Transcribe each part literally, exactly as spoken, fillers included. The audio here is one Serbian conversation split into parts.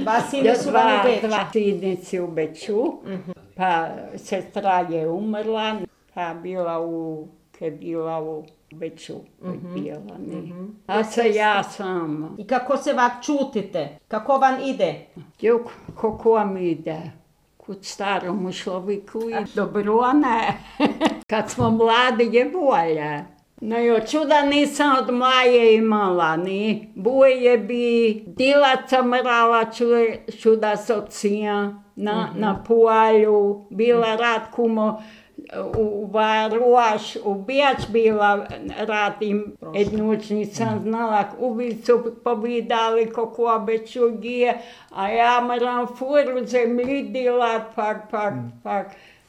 Dva sine su vam u Beču. Dva sinici u Beču, pa sestra je umrla, pa bila u, je bila u Beču. Bila, a se ja sama. I kako se vak čutite? Kako vam ide? Jo, kako vam ide? Kod staromu človeku i dobro, ne. Kad smo mladi je bolje. No jo, čuda nisam od mlaje imala, ni. Boje bi dilaca mrala čuda socija na, na polju. Bila rad kumo u Varuš, u Bijač bila rad im jednuć nisam znala. Uvi su povidali kako obeću gije, a ja moram furu zemlji dilat, pak, pak, pak,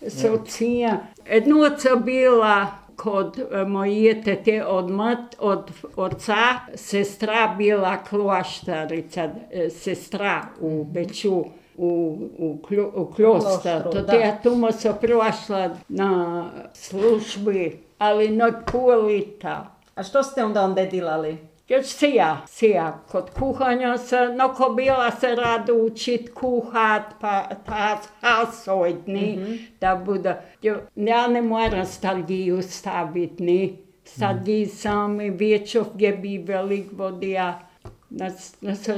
socija. Jednuca bila kod moje tete od mat, od oca, sestra bila kloštarica, sestra u Beču, u, u, u klostar. To ja tumo sam prošla na službi, ali not pulita. A što ste onda onda dilali? Još sija, sija. Kod kuhanja se, noko bila se rado učit kuhat, pa ta hasojtni, mm-hmm. da bude. Ja ne moram stalgiju staviti, ni. Stalgiji sami večer je bi velik vodija. Nas, nas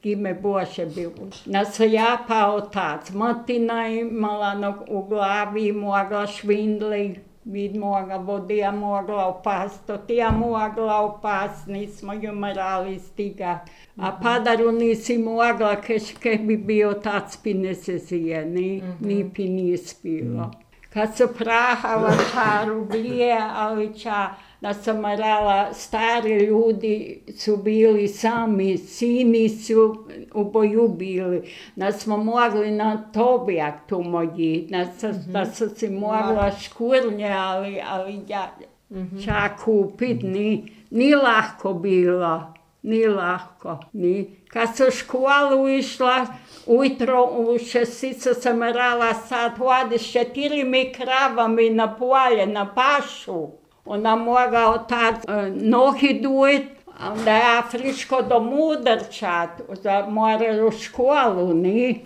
ime Bože bilo. Nas ja pa otac. Matina imala no, u glavi, mogla švindli. Vid moga vodija mogla opast, to ja mogla opast, nismo ju morali stigat. A padaru nisi mogla, keš ke bi bio tac pi ne se zije, ni, ni pi nis bilo. Kad su prahala čaru blije, ali ča, da sam morala, stari ljudi su bili sami, sini su u boju bili. Da smo mogli na tobijak tu moji, da, mm-hmm. da su si mogla škurnje, ali, ali ja mm-hmm. čak kupit, ni, ni lahko bilo, ni lahko, ni. Kad sam u školu išla, ujutro u šesticu sam morala sad hoditi s četirimi kravami na polje, na pašu. Ona mogla otac nohi dujit, onda ja friško do mudrčat, da mora u školu, ni?